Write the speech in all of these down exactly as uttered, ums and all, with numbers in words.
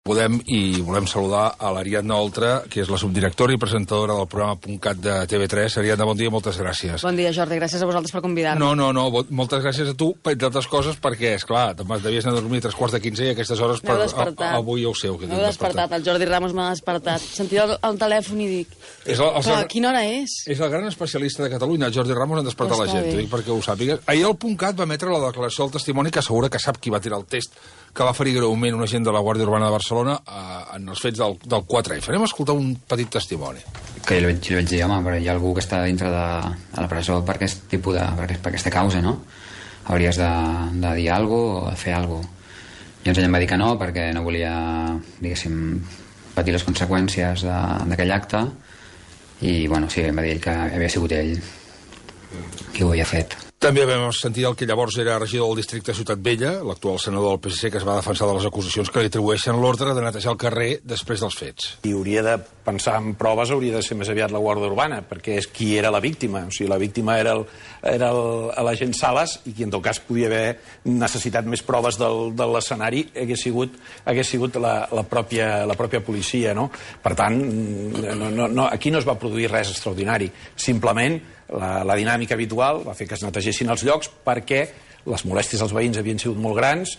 podem i volem saludar a l'Ariadna Oltra, que és la subdirectora i presentadora del programa .cat de T V tres. Ariadna, bon dia, moltes gràcies. Bon dia, Jordi, gràcies a vosaltres per convidar-me. No, no, no, moltes gràcies a tu, entre altres coses, perquè, esclar, devies anar a dormir a tres quarts de quinze i a aquestes hores per, a, avui ja ho sé. M'heu despertat, el Jordi Ramos m'ha despertat. Sentia el, el telèfon i dic, és el, el, clar, quina hora és? És el gran especialista de Catalunya, el Jordi Ramos, en despertar la gent, dic, perquè ho sàpigues. Ahir el .cat va emetre la declaració del testimoni que assegura que sap qui va tirar el test que va ferir greument un agent de la Guàrdia Urbana de Barcelona eh, en els fets del, del quatre F. Anem a escoltar un petit testimoni. Que jo li vaig, jo li vaig dir, home, però hi ha algú que està dintre de, de la presó per aquest tipus de, per, aquest, per aquesta causa, no? Hauries de, de dir alguna cosa o de fer alguna cosa. I llavors ell em va dir que no, perquè no volia, diguéssim, patir les conseqüències d'aquell acte. I, bueno, sí, em va dir ell que havia sigut ell qui ho havia fet. També vam sentir el que llavors era regidor del districte Ciutat Vella, l'actual senador del P S C, que es va defensar de les acusacions que li atribueixen l'ordre de netejar el carrer després dels fets. I hauria de pensar en proves, hauria de ser més aviat la Guàrdia Urbana, perquè és qui era la víctima. O sigui, la víctima era el, era l'agent Sales i qui en tot cas podia haver necessitat més proves del, de l'escenari hagués sigut, hagués sigut la, la, pròpia, la pròpia policia, no? Per tant, no, no, no, aquí no es va produir res extraordinari. Simplement, la, la dinàmica habitual va fer que es netegessin els llocs perquè les molèsties als veïns havien sigut molt grans.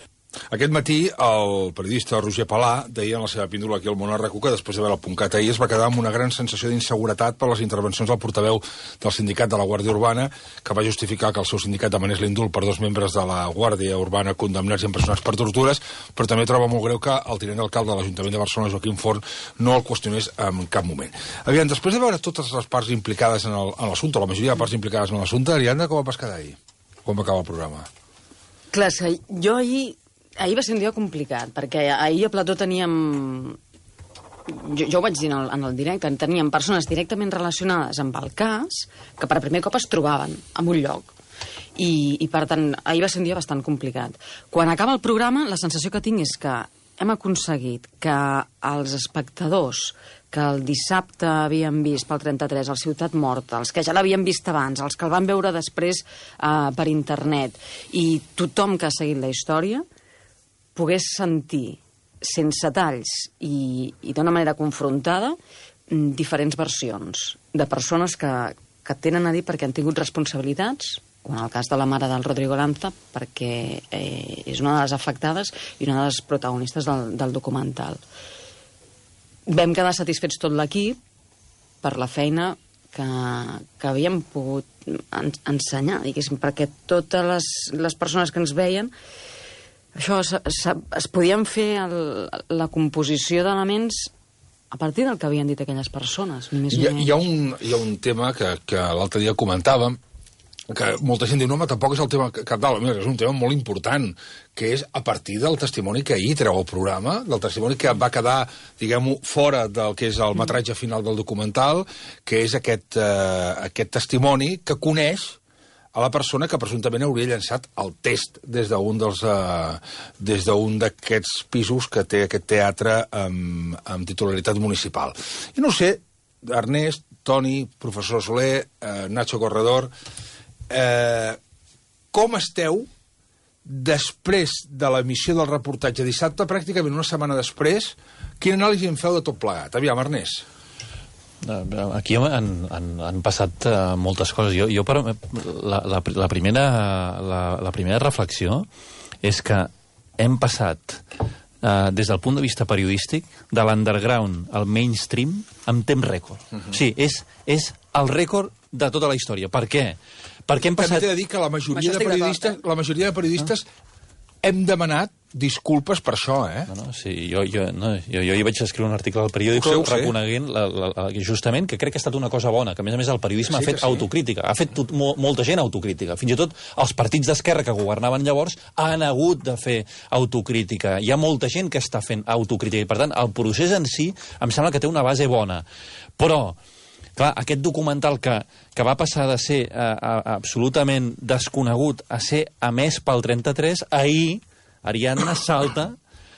Aquest matí el periodista Roger Palà deia en la seva píndola aquí al Monarraco que després de veure el .cat ahir es va quedar amb una gran sensació d'inseguretat per les intervencions del portaveu del sindicat de la Guàrdia Urbana, que va justificar que el seu sindicat demanés l'indult per dos membres de la Guàrdia Urbana condemnats i empresonats per tortures, però també troba molt greu que el tinent d'alcalde de l'Ajuntament de Barcelona, Joaquim Forn, no el qüestionés en cap moment. Aviam, després de veure totes les parts implicades en l'assumpte, la majoria de parts implicades en l'assumpte, Ariadna, com va quedar ahir? Com va acabar el programa? Clar, jo ahir... Ahir va ser un dia complicat, perquè ahir a Plató teníem... Jo, jo ho vaig dir en el, en el directe, teníem persones directament relacionades amb el cas que per primer cop es trobaven en un lloc. I, i per tant, ahir va ser un dia bastant complicat. Quan acaba el programa, la sensació que tinc és que hem aconseguit que els espectadors que el dissabte havien vist pel trenta-tres al Ciutat Morta, els que ja l'havien vist abans, els que el van veure després eh, per internet, i tothom que ha seguit la història pogués sentir, sense talls i, i d'una manera confrontada, diferents versions de persones que, que tenen a dir perquè han tingut responsabilitats, com en el cas de la mare del Rodrigo Lanza, perquè eh, és una de les afectades i una de les protagonistes del, del documental. Vam quedar satisfets tot l'equip per la feina que, que havíem pogut en, ensenyar, diguéssim, perquè totes les, les persones que ens veien això, es, es, es podien fer el, la composició d'elements a partir del que havien dit aquelles persones. Ni més hi, ha, hi, ha un, hi ha un tema que, que l'altre dia comentàvem, que molta gent diu, no, home, tampoc és el tema cabdal, mira, és un tema molt important, que és a partir del testimoni que ahir treu el programa, del testimoni que va quedar, diguem-ho, fora del que és el metratge final del documental, que és aquest, eh, aquest testimoni que coneix a la persona que presumptament hauria llançat el test des d'un dels uh, des d'un d'aquests pisos que té aquest teatre amb, amb titularitat municipal. I no sé, Ernest, Toni, professor Soler, uh, Nacho Corredor, uh, com esteu després de l'emissió del reportatge dissabte, pràcticament una setmana després, quina anàlisi en feu de tot plegat? Aviam, Ernest. Aquí han, han, han passat uh, moltes coses. Jo, jo per, la, la, la, primera, la, la primera reflexió és que hem passat, uh, des del punt de vista periodístic, de l'underground al mainstream amb temps rècord. Uh-huh. Sí, és, és el rècord de tota la història. Per què? Perquè hem passat... També t'he de dir que la majoria de periodistes, la majoria de periodistes ah. hem demanat disculpes per això, eh? No, no, sí, jo, jo, no, jo, jo hi vaig escriure un article al periòdic reconeguent la, la, la, justament que crec que ha estat una cosa bona, que a més a més el periodisme sí, ha fet sí. autocrítica, ha fet tot, mo, molta gent autocrítica, fins i tot els partits d'esquerra que governaven llavors han hagut de fer autocrítica, hi ha molta gent que està fent autocrítica i per tant el procés en si em sembla que té una base bona, però clar, aquest documental que, que va passar de ser uh, uh, absolutament desconegut a ser emès pel trenta-tres, ahir Ariadna salta,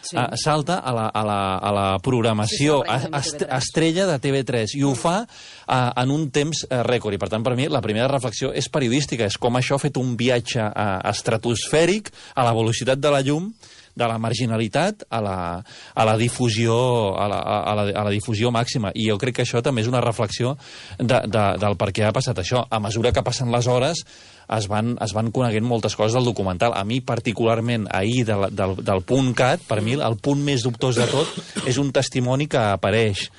sí. uh, salta a, la, a, la, a la programació sí, est estrella de T V tres i ho fa uh, en un temps uh, rècord. I per tant, per mi, la primera reflexió és periodística, és com això ha fet un viatge uh, estratosfèric a la velocitat de la llum de la marginalitat a la, a la difusió a la, a, la, a la difusió màxima. I jo crec que això també és una reflexió de, de, del per què ha passat això. A mesura que passen les hores es van, es van coneguent moltes coses del documental. A mi, particularment, ahir, del, del, del punt cat, per mi, el punt més dubtós de tot és un testimoni que apareix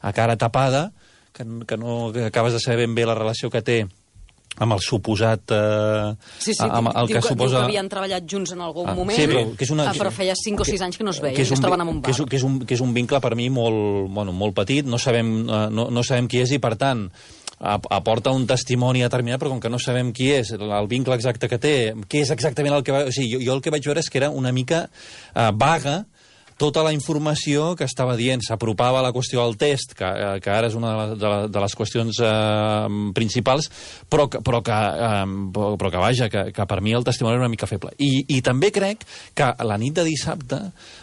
a cara tapada, que, que no que acabes de saber ben bé la relació que té amb el suposat... Eh, sí, sí, amb el diu, que, que, suposa... diu que havien treballat junts en algun ah, moment, sí, però, que és una, ah, però feia cinc o sis anys que no es veien, que, que, un, es troben en un bar. Que és, que, és un, que és un vincle per mi molt, bueno, molt petit, no sabem, no, no sabem qui és i, per tant, aporta un testimoni determinat, però com que no sabem qui és, el vincle exacte que té, què és exactament el que va... O sigui, jo, jo el que vaig veure és que era una mica eh, vaga tota la informació que estava dient. S'apropava a la qüestió del test, que, que ara és una de, la, de, la, de les qüestions eh, principals, però que, però, que, eh, però que vaja, que, que per mi el testimoni era una mica feble. I, i també crec que la nit de dissabte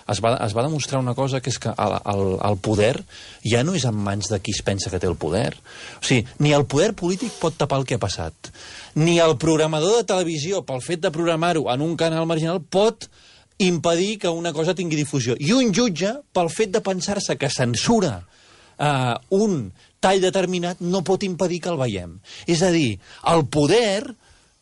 es va, es va demostrar una cosa, que és que el, el, el poder ja no és en mans de qui es pensa que té el poder. O sigui, ni el poder polític pot tapar el que ha passat, ni el programador de televisió, pel fet de programar-ho en un canal marginal, pot impedir que una cosa tingui difusió. I un jutge, pel fet de pensar-se que censura eh, un tall determinat, no pot impedir que el veiem. És a dir, el poder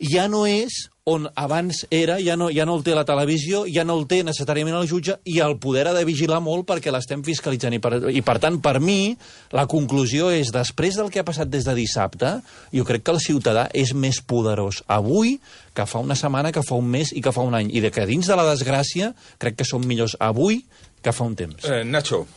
ja no és on abans era, ja no, ja no el té la televisió, ja no el té necessàriament el jutge, i el poder ha de vigilar molt perquè l'estem fiscalitzant. I per, I per tant, per mi, la conclusió és, després del que ha passat des de dissabte, jo crec que el ciutadà és més poderós avui que fa una setmana, que fa un mes i que fa un any. I de que dins de la desgràcia crec que som millors avui que fa un temps. Eh, Nacho.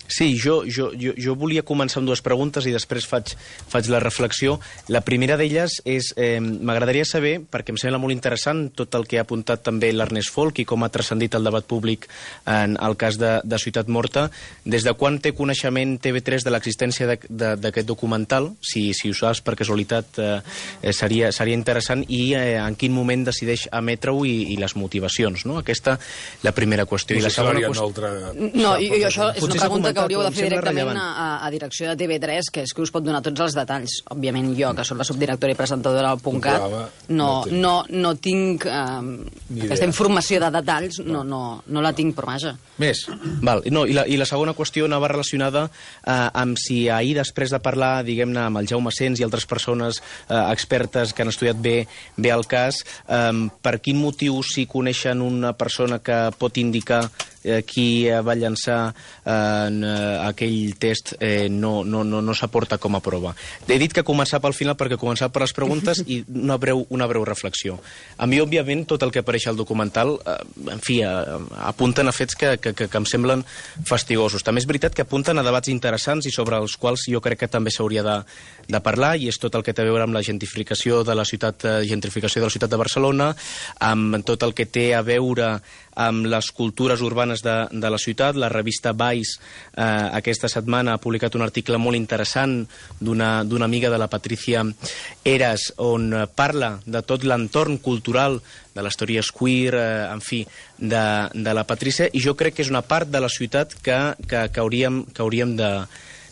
Sí, jo, jo, jo, jo volia començar amb dues preguntes i després faig, faig la reflexió. La primera d'elles és, eh, m'agradaria saber, perquè em sembla molt interessant tot el que ha apuntat també l'Ernest Folch i com ha transcendit el debat públic en el cas de, de Ciutat Morta, des de quan té coneixement T V tres de l'existència d'aquest documental, si, si ho saps per casualitat eh, seria, seria interessant, i eh, en quin moment decideix emetre-ho i, i les motivacions, no? Aquesta, la primera qüestió. I la segona qüestió... Altra... No, i, i això és una pregunta que hauríeu de fer directament a, a direcció de T V tres, que és que us pot donar tots els detalls. Òbviament jo, que soc la subdirectora i presentadora del punt cat, no, no, no tinc eh, aquesta informació de detalls, no, no, no la tinc, però vaja. Més. Val, no, i, la, I la segona qüestió anava relacionada eh, amb si ahir, després de parlar, diguem-ne, amb el Jaume Sens i altres persones eh, expertes que han estudiat bé, bé el cas, eh, per quin motiu, si coneixen una persona que pot indicar eh, qui va llançar eh, en eh, aquell test, eh, no, no, no, no s'aporta com a prova. He dit que començar pel final perquè començar per les preguntes i una breu, una breu reflexió. A mi, òbviament, tot el que apareix al documental, eh, en fi, eh, apunten a fets que, que, que, que em semblen fastigosos. També és veritat que apunten a debats interessants i sobre els quals jo crec que també s'hauria de, de parlar, i és tot el que té a veure amb la gentrificació de la ciutat, eh, gentrificació de la ciutat de Barcelona, amb tot el que té a veure amb les cultures urbanes de, de la ciutat. La revista Vice eh, aquesta setmana ha publicat un article molt interessant d'una d'una amiga de la Patricia Eras, on parla de tot l'entorn cultural de les teories queer, eh, en fi, de, de la Patricia, i jo crec que és una part de la ciutat que, que, que hauríem, que hauríem de,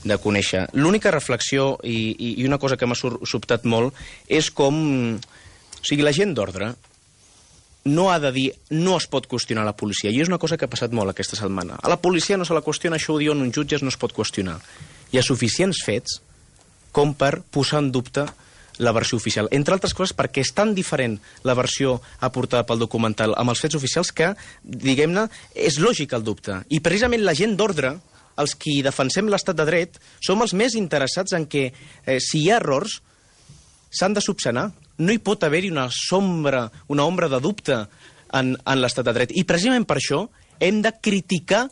de conèixer. L'única reflexió i, i una cosa que m'ha sobtat molt és com... O sigui, la gent d'ordre no ha de dir, no es pot qüestionar la policia. I és una cosa que ha passat molt aquesta setmana. A la policia no se la qüestiona, això ho diuen uns jutges, no es pot qüestionar. Hi ha suficients fets com per posar en dubte la versió oficial. Entre altres coses perquè és tan diferent la versió aportada pel documental amb els fets oficials que, diguem-ne, és lògic el dubte. I precisament la gent d'ordre, els qui defensem l'estat de dret, som els més interessats en que, eh, si hi ha errors, s'han de subsanar. No hi pot haver-hi una sombra, una ombra de dubte en, en l'estat de dret. I precisament per això hem de criticar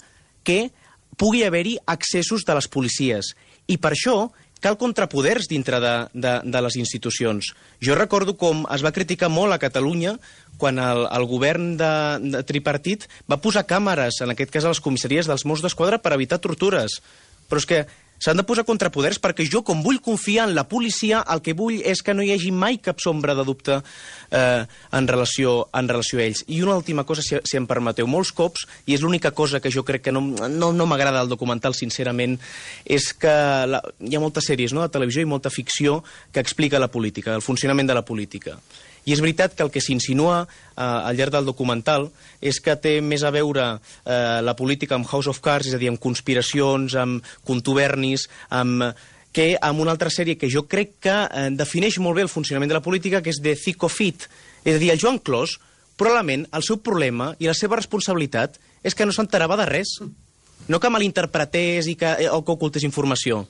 que pugui haver-hi excessos de les policies. I per això cal contrapoders dintre de, de, de les institucions. Jo recordo com es va criticar molt a Catalunya quan el, el govern de, de tripartit va posar càmeres, en aquest cas a les comissaries dels Mossos d'Esquadra, per evitar tortures. Però és que s'han de posar contrapoders perquè jo, com vull confiar en la policia, el que vull és que no hi hagi mai cap sombra de dubte eh, en, relació, en relació a ells. I una última cosa, si, si em permeteu, molts cops, i és l'única cosa que jo crec que no, no, no m'agrada del documental, sincerament, és que la, hi ha moltes sèries, no?, de televisió i molta ficció que explica la política, el funcionament de la política. I és veritat que el que s'insinua eh, al llarg del documental és que té més a veure eh, la política amb House of Cards, és a dir, amb conspiracions, amb contubernis, amb que amb una altra sèrie que jo crec que eh, defineix molt bé el funcionament de la política, que és The Thick of It. És a dir, el Joan Clos, probablement, el seu problema i la seva responsabilitat és que no s'enterava de res. No que malinterpretés i que, o que ocultés informació.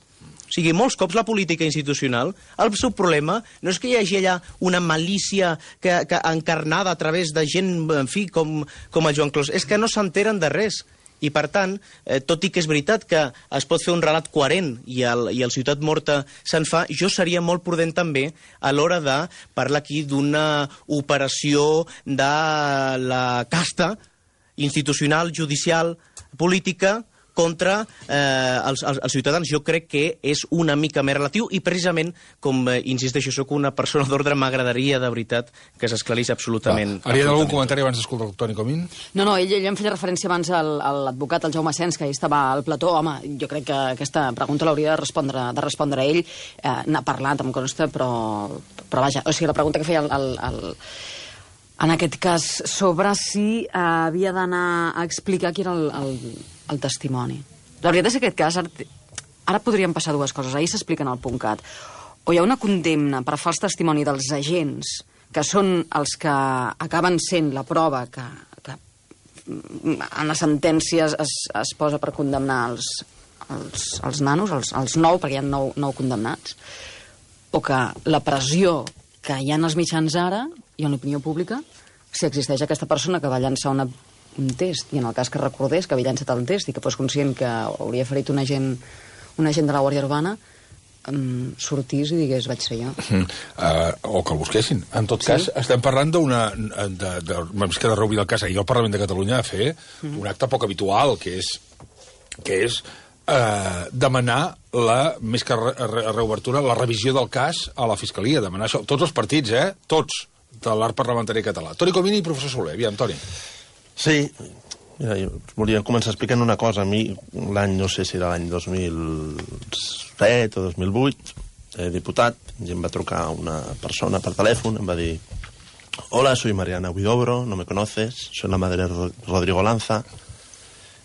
O sigui, molts cops la política institucional, el seu problema no és que hi hagi allà una malícia que, que encarnada a través de gent, en fi, com, com el Joan Clos, és que no s'enteren de res. I, per tant, eh, tot i que és veritat que es pot fer un relat coherent i el, i el Ciutat Morta se'n fa, jo seria molt prudent també a l'hora de parlar aquí d'una operació de la casta institucional, judicial, política, contra eh, els, els, els ciutadans. Jo crec que és una mica més relatiu i precisament, com eh, insisteixo, sóc una persona d'ordre, m'agradaria de veritat que s'esclarís absolutament. Va, Haria algun comentari abans d'escoltar el Toni Comín? No, no, ell, ell em feia referència abans al, a l'advocat, el Jaume Sens, que ahir estava al plató. Home, jo crec que aquesta pregunta l'hauria de respondre, de respondre ell. Eh, N'ha parlat, em consta, però, però vaja, o sigui, la pregunta que feia el, el, el en aquest cas, sobre si eh, havia d'anar a explicar qui era el, el, el testimoni. La veritat és que aquest cas, ara, ara podrien passar dues coses. Ahir s'explica en el .cat. O hi ha una condemna per fals testimoni dels agents, que són els que acaben sent la prova que, que en les sentències es, es posa per condemnar els, els, els nanos, els, els nou, perquè hi ha nou, nou condemnats, o que la pressió que hi ha en els mitjans ara i en l'opinió pública, si existeix aquesta persona que va llançar una, un test, i en el cas que recordés que havia llançat el test i que fos conscient que hauria ferit un agent, un agent de la Guàrdia Urbana, um, sortís i digués, vaig ser jo. Mm, uh, o que el busquessin. En tot sí? cas, estem parlant d'una... De, de, més que de reobrir el cas, ahir el Parlament de Catalunya va fer mm. un acte poc habitual, que és, que és uh, demanar la, més que re, re, reobertura, la revisió del cas a la Fiscalia. Demanar això. Tots els partits, eh? Tots. De l'art parlamentari català. Toni Comín i professor Soler. Aviam, Toni. Sí, mira, jo volia començar explicant una cosa. A mi, l'any, no sé si era l'any dos mil set o dos mil vuit, eh, diputat, i em va trucar una persona per telèfon, em va dir: hola, soy Mariana Huidobro, no me conoces, soy la madre de Rodrigo Lanza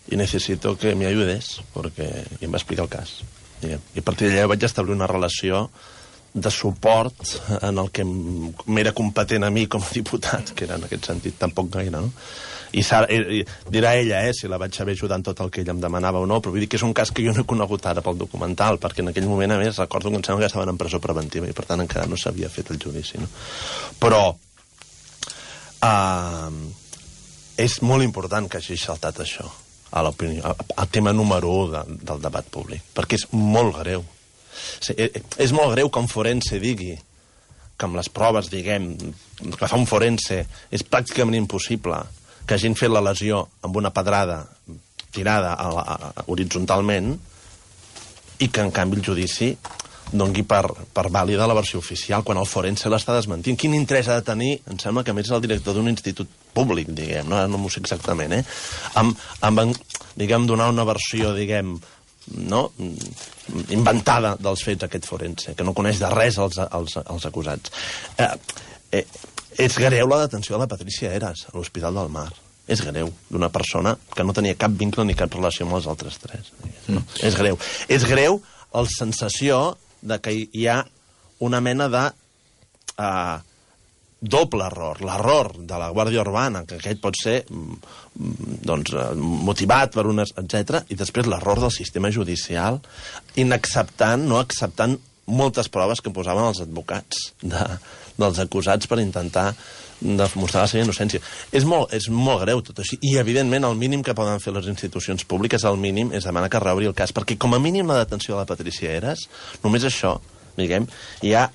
y necesito que me ayudes, porque... I em va explicar el cas. I a partir d'allà vaig establir una relació de suport en el que m'era competent a mi com a diputat, que era en aquest sentit tampoc gaire, no? I, i dirà ella, eh, si la vaig saber ajudar en tot el que ella em demanava o no, però vull dir que és un cas que jo no he conegut ara pel documental, perquè en aquell moment, a més, recordo que em sembla que estaven en presó preventiva i per tant encara no s'havia fet el judici, no? Però uh, és molt important que hagi saltat això a l'opinió, al tema número u de, del debat públic, perquè és molt greu. Sí, és molt greu que un forense digui que amb les proves, diguem, que fa un forense, és pràcticament impossible que hagin fet la lesió amb una pedrada tirada a la, a, horitzontalment i que, en canvi, el judici doni per, per vàlida la versió oficial quan el forense l'està desmentint. Quin interès ha de tenir? Em sembla que, a més, és el director d'un institut públic, diguem, no, no m'ho sé exactament, eh? Amb, amb, diguem, donar una versió, diguem, no? Inventada dels fets aquest forense, que no coneix de res els, els, els acusats. Eh, eh, és greu la detenció de la Patricia Heras a l'Hospital del Mar. És greu, d'una persona que no tenia cap vincle ni cap relació amb els altres tres. No? Mm. És greu. És greu la sensació de que hi ha una mena de eh, doble error. L'error de la Guàrdia Urbana, que aquest pot ser doncs, motivat per unes, etcètera, i després l'error del sistema judicial, inacceptant, no acceptant moltes proves que posaven els advocats de, dels acusats per intentar demostrar la seva innocència. És molt, és molt greu tot així, i evidentment el mínim que poden fer les institucions públiques, el mínim, és demanar que reobri el cas, perquè com a mínim la detenció de la Patricia Heras, només això, diguem, hi ha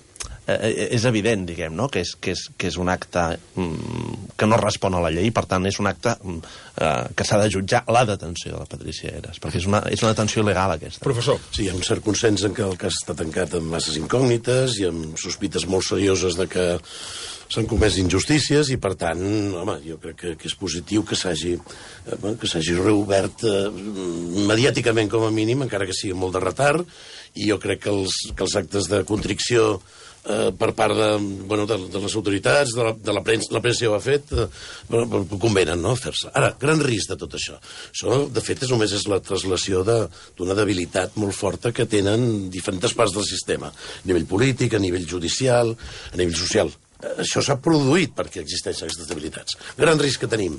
Eh, és evident, diguem, no? que, és, que, és, que és un acte mm, que no respon a la llei, per tant és un acte mm, eh, que s'ha de jutjar la detenció de la Patricia Heras, perquè és una, és una detenció il·legal aquesta. Professor. Sí, hi ha un cert consens en què el cas està tancat amb masses incògnites i amb sospites molt serioses de que s'han comès injustícies i, per tant, home, jo crec que, que és positiu que s'hagi eh, que s'hagi reobert eh, mediàticament com a mínim, encara que sigui molt de retard, i jo crec que els, que els actes de contricció eh, per part de, bueno, de, de les autoritats, de la, de la premsa, la premsa ja ho ha fet, eh, però convenen, no?, fer-se. Ara, gran risc de tot això. Això, de fet, és només és la translació d'una de, debilitat molt forta que tenen diferents parts del sistema, a nivell polític, a nivell judicial, a nivell social. Això s'ha produït perquè existeixen aquestes debilitats. Gran risc que tenim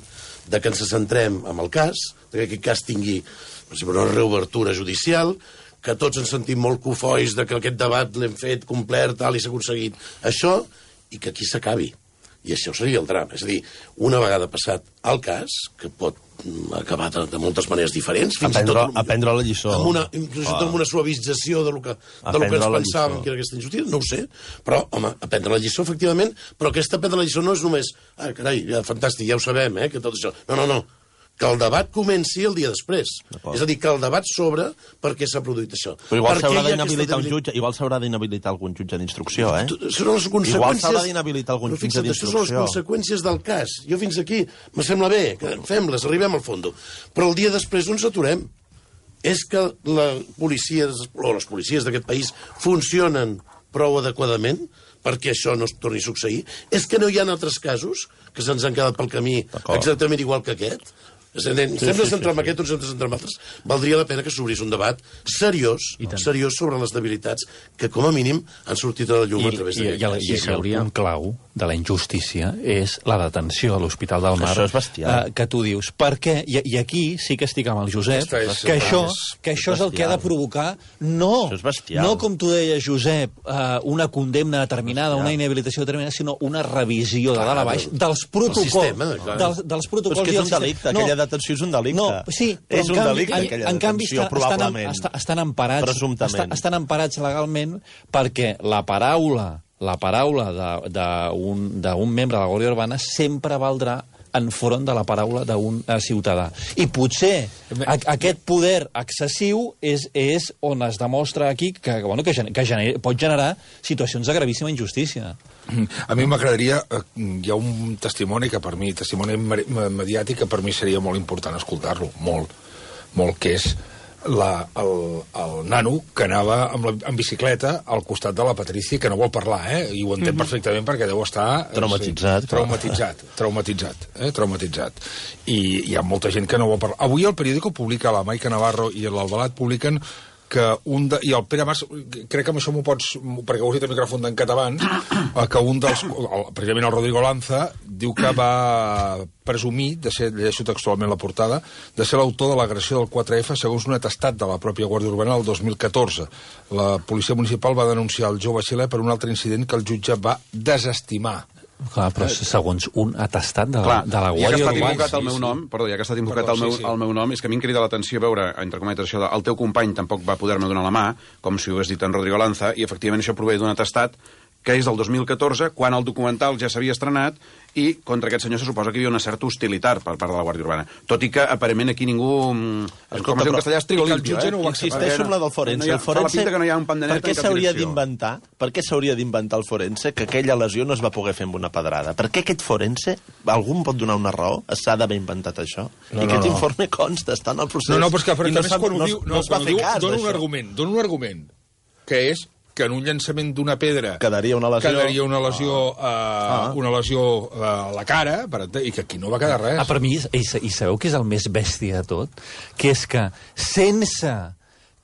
de que ens centrem en el cas, que aquest cas tingui, per exemple, una reobertura judicial, que tots ens sentim molt cofois de que aquest debat l'hem fet complet, tal, i s'ha aconseguit això, i que aquí s'acabi. I això seria el drama. És a dir, una vegada passat el cas, que pot acabar de, de moltes maneres diferents, fins aprendre, i tot... Aprendre la lliçó. Amb una, inclús oh. amb una suavització de lo que, de lo que ens pensàvem que era aquesta injustícia, no ho sé, però, home, aprendre la lliçó, efectivament, però aquesta aprendre la lliçó no és només, ah, carai, ja, fantàstic, ja ho sabem, eh, que tot això... No, no, no, que el debat comenci el dia després. És a dir, que el debat s'obre perquè s'ha produït això. Però igual s'haurà d'inhabilitar un jutge, igual s'haurà d'inhabilitar algun jutge d'instrucció, eh? Són les conseqüències... Igual s'haurà d'inhabilitar algun jutge d'instrucció. Això són les conseqüències del cas. Jo fins aquí me sembla bé, que fem-les, arribem al fons. Però el dia després on s'aturem? És que la policia, o les policies d'aquest país funcionen prou adequadament perquè això no es torni a succeir? És que no hi ha altres casos que se'ns han quedat pel camí exactament igual que aquest? Sempre sí, sí, centrar en sí, aquest, o sempre centrar en altres. Valdria la pena que s'obrís un debat seriós, seriós sobre les debilitats que, com a mínim, han sortit a la llum I, a través i, d'aquest cas. I, i, i el punt clau de la injustícia és la detenció a l'Hospital del Mar. Això és bestial. Eh, que tu dius, per què? I, I aquí sí que estic amb el Josep, és, que, això, és, que això és el que ha de provocar, no, no com tu deies, Josep, eh, una condemna determinada, una inhabilitació determinada, sinó una revisió de dalt a baix dels protocols. Sistema, dels, dels protocols. Però és que és un delicte, no, aquella detenció és un delicte. No, sí, però és un canvi, delicte, aquella en, en canvi, detenció, estan, probablement. Estan, estan, emparats, presumptament. Estan, estan emparats legalment perquè la paraula la paraula d'un membre de la Guàrdia Urbana sempre valdrà enfront de la paraula d'un ciutadà. I potser a, aquest poder excessiu és, és on es demostra aquí que, bueno, que, gener, que gener, pot generar situacions de gravíssima injustícia. A mi m'agradaria... Hi ha un testimoni que per mi, testimoni mediàtic, que per mi seria molt important escoltar-lo, molt, molt, que és la, el, el nano que anava amb, la, amb bicicleta al costat de la Patrícia, que no vol parlar, eh? I ho entén mm-hmm. perfectament perquè deu estar... Traumatitzat. Sí, traumatitzat, traumatitzat, eh? traumatitzat. I hi ha molta gent que no vol parlar. Avui el periòdico publica, la Maica Navarro i l'Albalat publiquen que un de, i el Pere Mas, crec que amb això m'ho pots, perquè ho has dit el micròfon d'en català, que un dels, el, precisament el Rodrigo Lanza, diu que va presumir, de ser, llegeixo textualment la portada, de ser l'autor de l'agressió del quatre efa segons un atestat de la pròpia Guàrdia Urbana el dos mil catorze. La policia municipal va denunciar el jove xilè per un altre incident que el jutge va desestimar. Clar, però segons un atestat de la, Clar, de la Guàrdia Urbana... Ja que ha estat invocat sí, el meu sí. nom, perdó, ja que ha estat invocat perdó, el, meu, sí, sí. el meu nom, és que a mi em crida l'atenció veure, entre cometes, això de el teu company tampoc va poder-me donar la mà, com si ho hagués dit en Rodrigo Lanza, i efectivament això prové d'un atestat que és del dos mil catorze, quan el documental ja s'havia estrenat, i contra aquest senyor se suposa que hi havia una certa hostilitat per part de la Guàrdia Urbana. Tot i que, aparentment, aquí ningú... Escolta, com es diu en castellà, és trigolimpio, eh? No insisteixo en la del forense. No ha, el forense que no hi ha un pan de net per què s'hauria d'inventar? Per què s'hauria d'inventar el forense que aquella lesió no es va poder fer amb una pedrada? Per què aquest forense, algú em pot donar una raó? S'ha d'haver inventat això? No, I aquest no, no. informe consta, està en el procés. No, no, però és que, I no més quan ho diu, no, no es va quan fer diu, cas dona un d'això. argument, dona un argument, que és que en un llançament d'una pedra quedaria una lesió, quedaria una lesió, ah. uh, Ah. una lesió uh, a la cara, per, i que aquí no va quedar res. Ah, per mi, i, i sabeu què és el més bèstia de tot? Que és que sense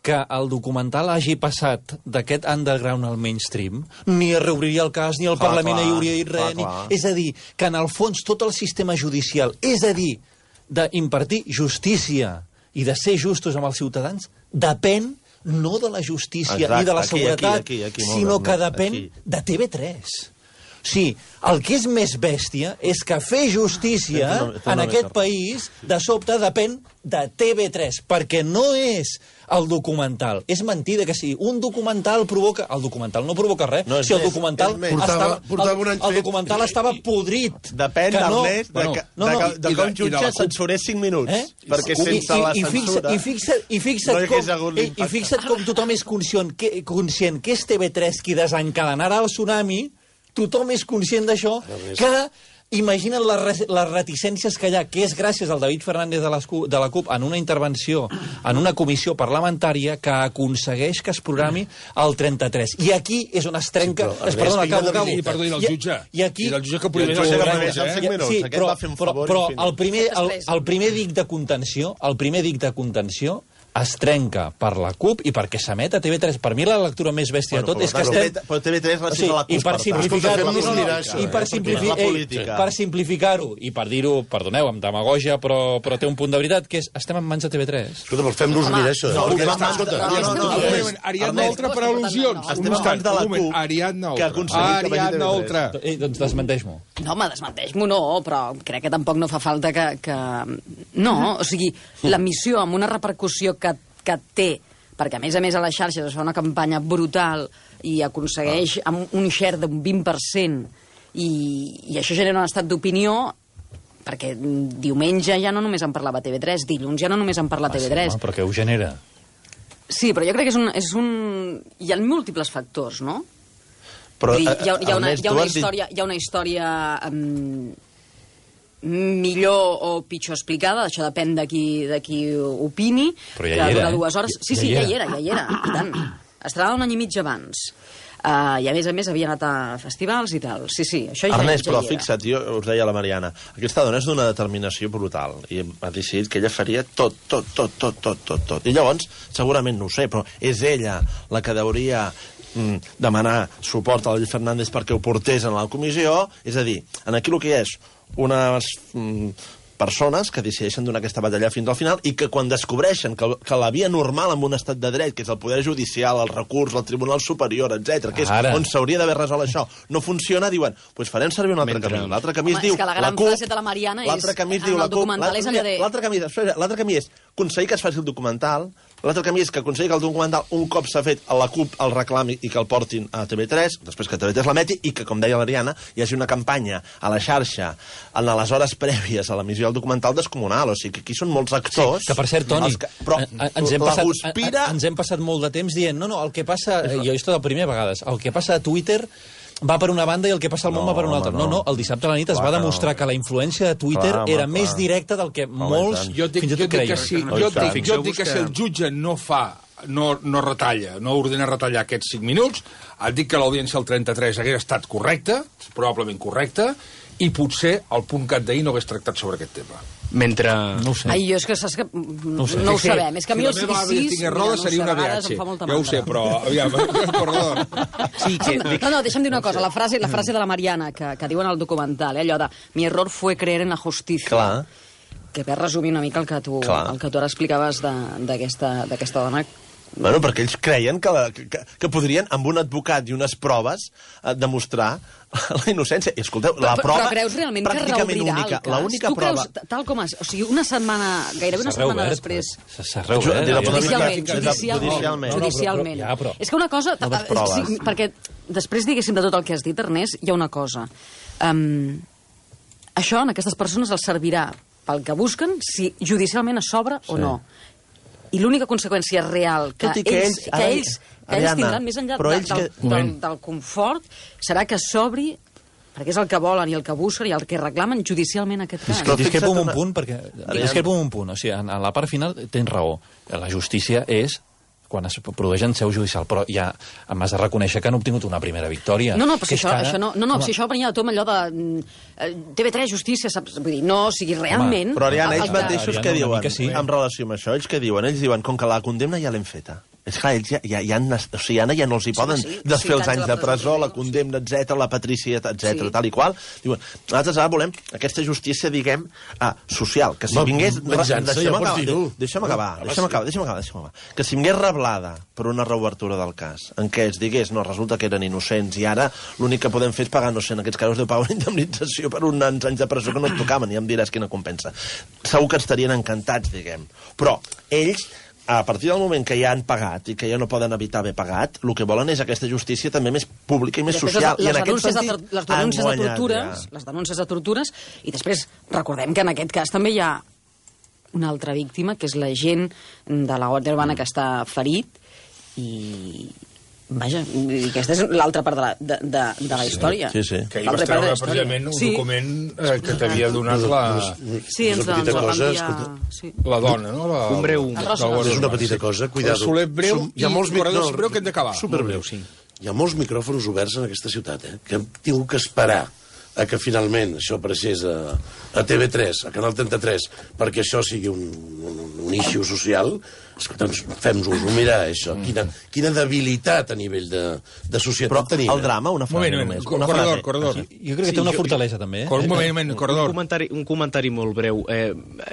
que el documental hagi passat d'aquest underground al mainstream, ni es reobriria el cas, ni el Clar, Parlament clar, hi hauria dit res. clar, Ni... clar. És a dir, que en el fons tot el sistema judicial, és a dir, d'impartir justícia i de ser justos amb els ciutadans, depèn no de la justícia Exacte, ni de la aquí, seguretat, aquí, aquí, aquí, molt sinó bé, que depèn aquí. de T V tres. O sigui, el que és més bèstia és que fer justícia Té una- té una en aquest mica. país, de sobte, depèn de T V tres, perquè no és el documental. És mentida que si un documental provoca... El documental no provoca res. No, és si el més, documental és més. estava, Portava- portava un any el, el fet. documental estava podrit. Depèn, Que no- Ernest, de, bueno, que, no, no, de, que, i- de i que de- un i de jutge la CUP. censurés cinc minuts. Eh? Perquè I, sense la i, i, censura... fixa, i, fixa't, i, fixa't no hi hagués com, hagut i, i l'impacte. fixa't com tothom és conscient que, conscient que és T V tres qui desencadenarà el tsunami, tothom és conscient d'això, que Imagina't les, re les reticències que hi ha, que és gràcies al David Fernández de, les, de la CUP en una intervenció, en una comissió parlamentària, que aconsegueix que es programi el trenta-tres. I aquí és on es trenca... Sí, es, perdona, acabo, acabo. I, perdoni, el jutge. I, i aquí... I el jutge que prohibeix el programa. Sí, però, però, però el, primer, el, el primer dic de contenció, el primer dic de contenció es trenca per la CUP i perquè s'emet a T V tres. Per mi la lectura més bèstia bueno, de tot és que estem... Però T V tres la cita la CUP, i per simplificar-ho, i per simplificar-ho, per simplificar-ho, i per dir-ho, perdoneu, amb demagogia, però, però té un punt de veritat, que és, estem en mans de T V tres. Escolta, però fem-nos mirar això. No, no, no. Ariadna Oltra per al·lusions. Estem en mans de la CUP. Ariadna Oltra. Ariadna Oltra. Doncs desmenteix-m'ho. No, home, desmenteix-m'ho no, però crec que tampoc no fa falta que... que... No, o sigui, la missió amb una repercussió que que té, perquè a més a més a les xarxes es fa una campanya brutal i aconsegueix ah. un share d'un vint per cent i, i això genera un estat d'opinió, perquè diumenge ja no només en parlava T V tres, dilluns ja no només en parla ah, T V tres. Sí, no, però què ho genera? Sí, però jo crec que és un... És un... Hi ha múltiples factors, no? Però, dir, hi ha, hi ha, una, Ernest, hi ha una història... Hi ha una història um, millor o pitjor explicada, això depèn de qui, de qui opini, però ja hi era, dues hores... Sí, sí, ja hi era, ja hi era, i tant. Estrenava un any i mig abans. Uh, I a més a més havia anat a festivals i tal. Sí, sí, això ja, Ernest, ja però hi era. fixa't, jo us deia la Mariana, aquesta dona és d'una determinació brutal i ha decidit que ella faria tot, tot, tot, tot, tot, tot, tot. I llavors, segurament no ho sé, però és ella la que hauria mm, demanar suport a l'Ell Fernández perquè ho portés en la comissió, és a dir, en aquí el que hi és unes mm, persones que decideixen donar aquesta batalla fins al final i que quan descobreixen que, que la via normal en un estat de dret, que és el poder judicial, el recurs, el Tribunal Superior, etcètera, que és Ara. on s'hauria d'haver resolt això, no funciona, diuen, doncs pues farem servir un altre Mentre... camí. L'altre camí Home, es diu... És que la gran CUP, frase de la Mariana és... L'altre camí es diu en la el documental és allò de... L'altre camí, l'altre camí és aconseguir que es faci el documental, l'altre camí és que aconseguir que el documental, un cop s'ha fet a la CUP, el reclami i que el portin a T V tres, després que T V tres l'emeti, i que, com deia l'Ariana, hi hagi una campanya a la xarxa en les hores prèvies a l'emissió del documental descomunal. O sigui, que aquí són molts actors... Sí, que, per cert, Toni, que, però ens, hem passat, guspira... ens hem passat molt de temps dient no, no, el que passa... Jo he vist la primera vegades. El que passa a Twitter va per una banda i el que passa al món no, va per una altra. No, no, el dissabte a la nit es Clar, va demostrar no. que la influència de Twitter clar, era clar. més directa del que home, molts jo dic, fins i tot creien. Que si, jo dic, jo dic que si el jutge no fa, no, no retalla, no ordena retallar aquests cinc minuts, et dic que l'audiència al trenta-tres hagués estat correcta, probablement correcta, i potser el punt cat d'ahir no hagués tractat sobre aquest tema. Mentre... No ho sé. Ai, jo és que saps que no ho, sé. no ho sabem. És que a mi si el sis sis... Si la meva roda seria una B H. Ja ho sé, però... Aviam, perdó. Sí, que... No, no, deixa'm dir una cosa. La frase, la frase de la Mariana, que, que diuen al documental, eh, allò de mi error fue creer en la justícia. Clar. Que ve resumir una mica el que tu, el que tu ara explicaves d'aquesta dona. Bueno, perquè ells creien que, la, que, que podrien, amb un advocat i unes proves, eh, demostrar la innocència. I escolteu, la però, prova... Però creus realment que reobrirà única, el cas? L'única tu prova... creus, tal com es... O sigui, una setmana, gairebé una setmana després... S'ha reobert. Judicialment, judicialment. Judicialment. Ja, però... És que una cosa... Sí, perquè després, diguéssim, de tot el que has dit, Ernest, hi ha una cosa. Um, això, en aquestes persones, els servirà pel que busquen, si judicialment es s'obre sí. o no. I l'única conseqüència real que, que ells, ells, que ells, que ells tindran més enllà de, del, que... del, del, del confort serà que s'obri, perquè és el que volen i el que busquen i el que reclamen judicialment aquest cas. Discrepo en un punt, perquè... Discrepo en un punt, o sigui, en, en la part final tens raó. La justícia és quan es produeix en seu judicial, però ja m'has de reconèixer que han obtingut una primera victòria. No, no, però si això, ara... això no, no, no, si això venia de tot allò de T V tres, justícia, saps? Vull dir, no, o sigui, realment... Home, però Ariana, ells mateixos què diuen sí. en relació amb això? Ells què diuen? Ells diuen, com que la condemna ja l'hem feta. És clar, ells ja, ja, ja, han, o sigui, ara ja no els hi poden sí, sí, desfer sí, els anys de presó, la condemna, etcètera, la patrícia, etcètera, sí. tal i qual. Diuen, nosaltres ara volem aquesta justícia, diguem, ah, social, que si Ma, vingués... Venjança, ja pots dir-ho. Deixa'm acabar, deixa'm acabar, deixa'm acabar, deixa'm acabar. Que si vingués reblada per una reobertura del cas, en què es digués, no, resulta que eren innocents i ara l'únic que podem fer és pagar, no sé, en aquests casos deu pagar una indemnització per uns anys de presó que no et tocaven, ja em diràs quina compensa. Segur que estarien encantats, diguem. Però ells... a partir del moment que ja han pagat i que ja no poden evitar haver pagat, el que volen és aquesta justícia també més pública i més social. Les, I en aquest sentit, de, les denúncies guanyat, de tortures, ja. les denúncies de tortures, i després recordem que en aquest cas també hi ha una altra víctima, que és l'agent de la Guàrdia Urbana que està ferit, i Vaja, aquesta és l'altra part de la, de, de, de la història. Sí, sí. Que ahir vas treure precisament un sí. document eh, que t'havia donat la... Sí, ens va enviar... Sí. La dona, no? La, un breu... La, és una petita cosa, cuidado. Soler breu hi ha molts i corredors breu que hem d'acabar. Superbreu, sí. Hi ha molts micròfons oberts en aquesta ciutat, eh, que hem tingut que esperar a que finalment això apareixés a, a T V tres, a Canal trenta-tres, perquè això sigui un, un, un issue social. Doncs fem-nos-ho mirar, això. Quina, quina debilitat a nivell de, de societat Però tenim. el drama, una frase moment, només. Una corredor, frase. corredor. Jo crec que té una fortalesa, també. Eh? Un moment, un moment, corredor. Un comentari, un comentari molt breu. Eh,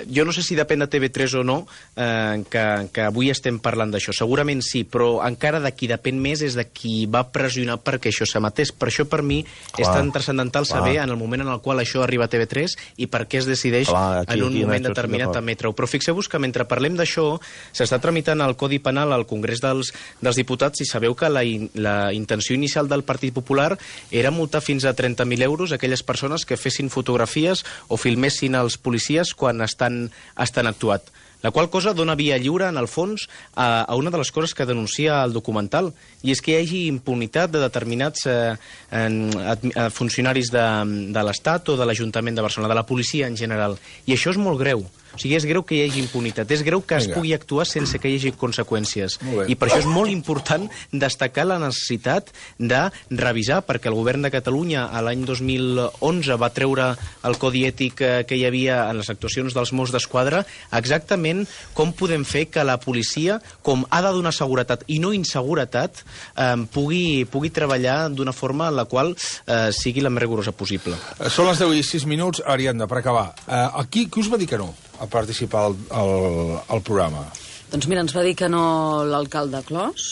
jo no sé si depèn de T V tres o no eh, que, que avui estem parlant d'això. Segurament sí, però encara de qui depèn més és de qui va pressionar perquè això s'emetés. Per això, per mi, clar, és tan transcendental clar. saber en el moment en el qual això arriba a T V tres i per què es decideix clar, aquí, en un aquí, moment determinat emetre-ho. Però fixeu-vos que mentre parlem d'això, s'està tramitant el Codi Penal al Congrés dels, dels Diputats i sabeu que la, in, la intenció inicial del Partit Popular era multar fins a trenta mil euros aquelles persones que fessin fotografies o filmessin els policies quan estan, estan actuat. La qual cosa dona via lliure, en el fons, a, a una de les coses que denuncia el documental, i és que hi hagi impunitat de determinats eh, en, ad, funcionaris de, de l'Estat o de l'Ajuntament de Barcelona, de la policia en general. I això és molt greu. O sigui, és greu que hi hagi impunitat, és greu que es Vinga. pugui actuar sense que hi hagi conseqüències. I per això és molt important destacar la necessitat de revisar, perquè el govern de Catalunya a l'any dos mil onze va treure el codi ètic que hi havia en les actuacions dels Mossos d'Esquadra, exactament com podem fer que la policia, com ha de donar seguretat i no inseguretat, eh, pugui, pugui treballar d'una forma en la qual eh, sigui la més rigorosa possible. Són les deu i sis minuts, Ariadna, per acabar. Eh, aquí, qui us va dir que no a participar al, al, al programa? Doncs mira, ens va dir que no l'alcalde Clos.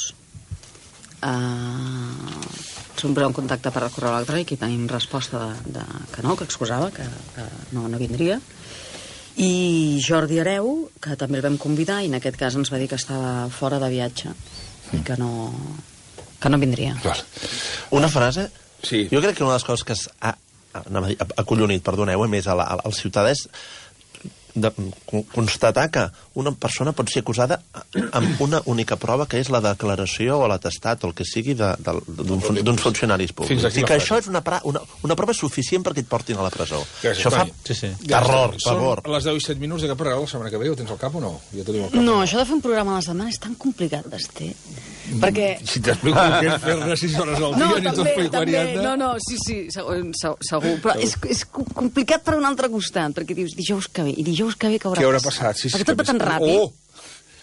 Uh, ens vam posar en contacte per correu electrònic i tenim resposta de, de, que no, que excusava, que, que no, no vindria. I Jordi Hereu, que també el vam convidar, i en aquest cas ens va dir que estava fora de viatge i que no, que no vindria. Clar. Una frase? Sí. Jo crec que una de les coses que ha, ha, ha acollonit, perdoneu, més al, al ciutadà és de constatar que una persona pot ser acusada amb una única prova, que és la declaració o l'atestat o el que sigui d'uns funcionaris públics. I que això és una, una, una prova suficient perquè et portin a la presó. Gràcies, això fa sí, sí. terror, per favor. Són les deu i set minuts de cap regal la setmana que ve, ho tens al cap o no? Ja tenim al cap. No, això de fer un programa a la setmana és tan complicat, Basté. Perquè... Si t'explico el que és fer-ne sis hores al dia, no, ni t'ho explico, Ariadna. No, no, sí, sí, segur. segur. Però és, és complicat per un altre costat, perquè dius dijous que ve, i dijous que ve que haurà, Què haurà passat? Sí, sí, perquè tot va tan ràpid. Oh!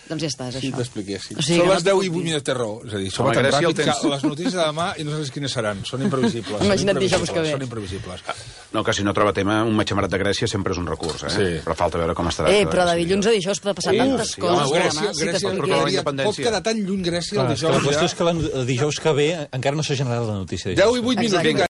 Doncs ja està, és Si això. t'expliquéssim. O sigui, Són que les no deu puc i vuit dir. minuts de raó. És a dir, som Home, tan Gràcia, el ràpids que temps. les notícies de demà i no sabes quines seran. Són imprevisibles. Imagina't són dijous que ve. Són imprevisibles. No, que si no troba tema, un matxamarat de Grècia sempre és un recurs, eh? Sí. Però falta veure com estarà. Eh, però de dilluns a dijous pot passar Sí, tantes sí, coses. home, que Grècia, demà, si Grècia, t'expliqués- però la pot independència. quedar tan lluny Grècia el Clar, és que la dijous qüestió ja. és que el dijous que ve encara no s'ha generat la notícia. deu i vuit minuts, Exacte. vinga.